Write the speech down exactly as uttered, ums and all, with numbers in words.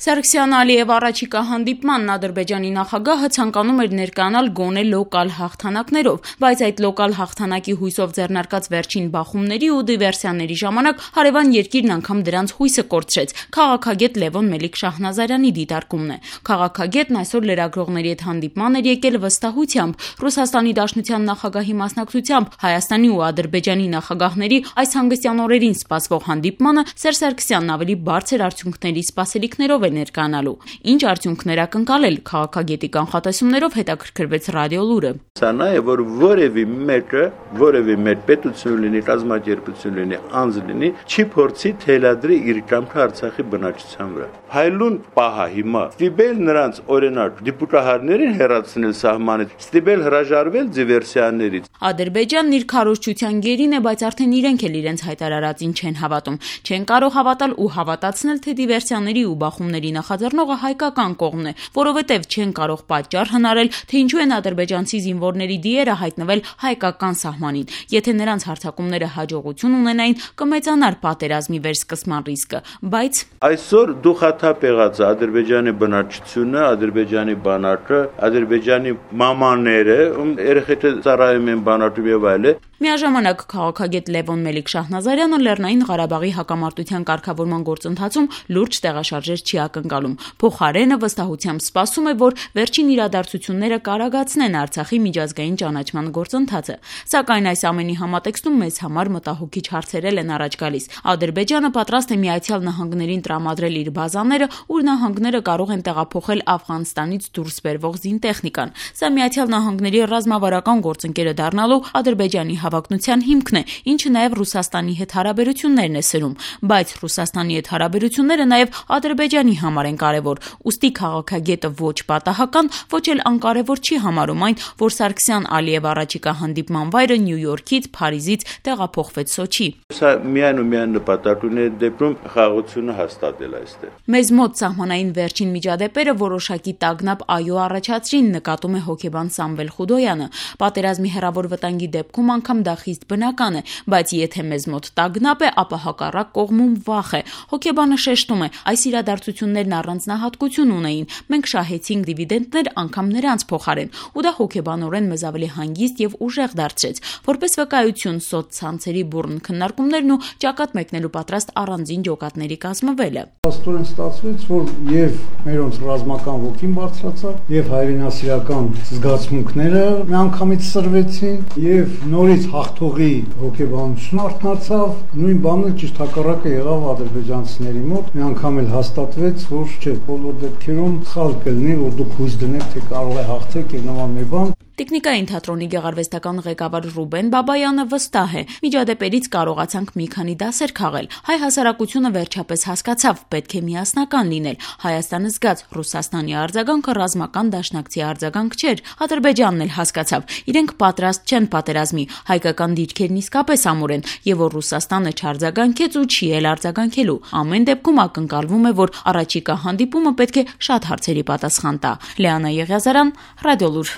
Սարգսյան Ալիև առաջիկա հանդիպմանն Ադրբեջանի նախագահը ցանկանում էր ներկայանալ գոնե լոկալ հաղթանակներով, բայց այդ լոկալ հաղթանակի հույսով ձեռնարկած վերջին բախումների ու դիվերսիաների ժամանակ հարևան երկիրն անգամ դրանց հույսը կորցրեց։ Քաղաքագետ Լևոն Մելիք-Շահնազարյանի դիտարկումն է։ Քաղաքագետն այսօր լրագրողների հետ հանդիպման էր եկել վստահությամբ Ռուսաստանի Դաշնության նախագահի մասնակցությամբ Հայաստանի ու Ադրբեջանի նախագահների այս հանգստյան օրերին սպասվող հանդիպմանը Սերժ Սարգսյանն ավելի բարձր արդյունքների սպասելիքներով ներկանալու։ Ինչ արդյունքներ ակնկալել քաղաքագետի կանխատեսումներով հետաքրքրվեց Ռադիոլուրը։ Սա նաև որ որևէ մեկը, որևէ մեկ պետություն լինի, կազմակերպություն լինի, անձ լինի, չի փորձի թելադրի իր կամքը Արցախի բնակչության վրա։ Հայլուն պահա հիմա ստիպել նրանց օրինակ դիպուտահարներին հեռացնել սահմանից, ստիպել հրաժարվել դիվերսիաներից։ Ադրբեջանն իր քարոզչության գերին է, բայց արդեն իրենք էլ իրենց հայտարարածին չեն հավատում։ Չեն կարող հավատալ ու հավատացնել, թե դիվերսիաների ու բախումների նախաձեռնողը հայկական կողմն է, որովհետև չեն կարող պատճառ հնարել, թե ինչու են ադրբեջանցի զինվորների դիերը հայտնվել հայկական սահմանին։ Եթե նրանց հարձակումները հաջողություն ունենային, կմեծանար պատերազմի վերսկսման ռիսկը, բայց այսօր դուխաթափ եղած Ադրբեջանի բնակչությունը, Ադրբեջանի բանակը, Ադրբեջանի մամաները, երեխեքը ծառայում են բանակում եւ այլն։ Միաժամանակ քաղաքագետ Լևոն Մելիք-Շահնազարյանը Լեռնային Ղարաբաղի հակամարտության կարգավորման գործընթացում լուրջ տեղաշարժեր չի ակնկալում։ Փոխարենը վստահությամբ սպասում է, որ վերջին իրադարձությունները կարագացնեն Արցախի միջազգային ճանաչման գործընթացը։ Սակայն այս ամենի համատեքստում մեծ համար մտահոգիչ հարցերել են առաջ գալիս։ Ադրբեջանը պատրաստ է Միացյալ Նահանգներին տրամադրել իր բազաները, ուր նահանգները կարող են տեղափոխել Աֆղանստանից դուրս բերվող զինտեխնիկան։ Սա Միացյալ Նահանգների ռազմավարական գործընկերը դառնալու Ադրբեջանի հավակնության հիմքն է, ինչը նաև Ռուսաստանի հետ հարաբերություններն է սրում, բայց Ռուսաստանի հետ հարաբերությունները նաև Ադրբեջանի համար են կարևոր, ուստի քաղաքագետը ոչ պատահական, ոչ էլ անկարևոր չի համարում այն, որ Սարգսյան-Ալիև առաջիկա հանդիպման վայրը Նյու Յորքից, Փարիզից տեղափոխվեց Սոչի։ Սա միայն ու միայն նպատակ ունի դեպքում խաղաղությունը հաստատել այստեղ։ Մեզ մոտ սահմանային վերջին միջադեպերը որոշակի տագնապ այո առաջացրին, նկատում է հոգեբան Սամվել Խուդոյանը։ Պատերազմի հեռավոր վտանգի դեպքում անգամ դա խիստ բնական է, բայց եթե մեզ մոտ տագնապ է, ապա հակառակ կողմում վախ է։ Հոգեբանը շեշտում է, այս իրադարձություններն առանձնահատկություն ունեին։ Մենք շահեցինք դիվիդենդներ անգամ նրանց փոխարեն, ու դա հոգեբանորեն մեզ ավելի հանգիստ եւ ուժեղ դարձրեց։ Որպես վկայություն սոցցանցերի բուռն քննարկումներն ու ճակատ մեկնելու պատրաստ առանձին ջոկատների կազմվելը։ Աստորեն ստացվեց, որ եւ մերոնց ռազմական ոգին բարձրացավ, եւ հայրենասիրական զգացմունքները միանգամից սրվեցին, եւ նորից հաղթողի հոգեբանությունը արթնացավ։ Նույն բանը ճիշտ հակառակը եղավ ադրբեջանցիների մոտ։ Մի անգամ էլ հաստատվեց, որ չէ, բոլոր դեպքերում սխալ կլինի, որ դուք հույս դնեք, թե կարող է հաղթեք եւ նման մի բան։ Տիկնիկային թատրոնի գեղարվեստական ղեկավար Ռուբեն Բաբայանը վստահ է։ Միջադեպերից կարողացանք մի քանի դասեր քաղել։ Հայ հասարակությունը վերջապես հասկացավ, պետք է միասնական լինել։ Հայաստանը զգաց, Ռուսաստանի արձագանքը ռազմական դաշնակցի արձագանք չէր։ Ադրբեջանն էլ հասկացավ, իրենք պատրաստ չեն պատերազմի, հայկական դիրքերն իսկապես ամուր են, եւ որ Ռուսաստանը չարձագանքեց ու չի էլ արձագանքելու։ Ամեն դեպքում ակնկալվում է, որ առաջիկա հանդիպումը պետք է շատ հարցերի պատասխան տա։ Լեանա Եղիազարյան, Ռադիոլուր։